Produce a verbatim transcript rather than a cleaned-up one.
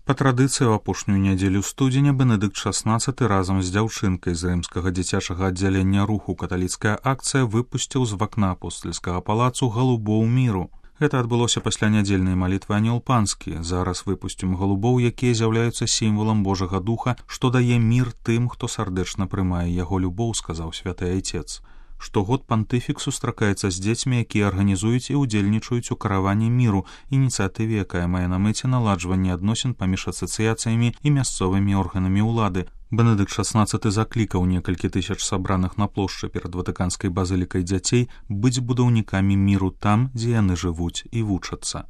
Па традыцыі, у апошнюю нядзелю студзеня Бенедыкт шаснаццаты разам з дзяўчынкай з рымскага дзіцячага аддзялення руху «Каталіцкая акцыя» выпусціў з вакна апостальскага палацу галубоў міру. Гэта адбылося пасля нядзельнай малітвы «Анёл панскі». Зараз выпусцім галубоў, якія з'яўляюцца сімвалам Божага духа, што дае мір тым, хто сардэчна прымае яго любоў, сказаў святы айцец. Штогод пантыфік сустракаецца з дзецьмі, якія арганізуюць і ўдзельнічаюць у караванні міру, ініцыятыве, якая мае на мэце наладжванне адносін паміж асацыяцыямі і мясцовымі органамі ўлады. Бенедыкт шаснаццаты заклікаў некалькі тысяч сабраных на плошчы перад ватыканскай базылікай дзяцей быць будаўнікамі міру там, дзе яны жывуць і вучацца.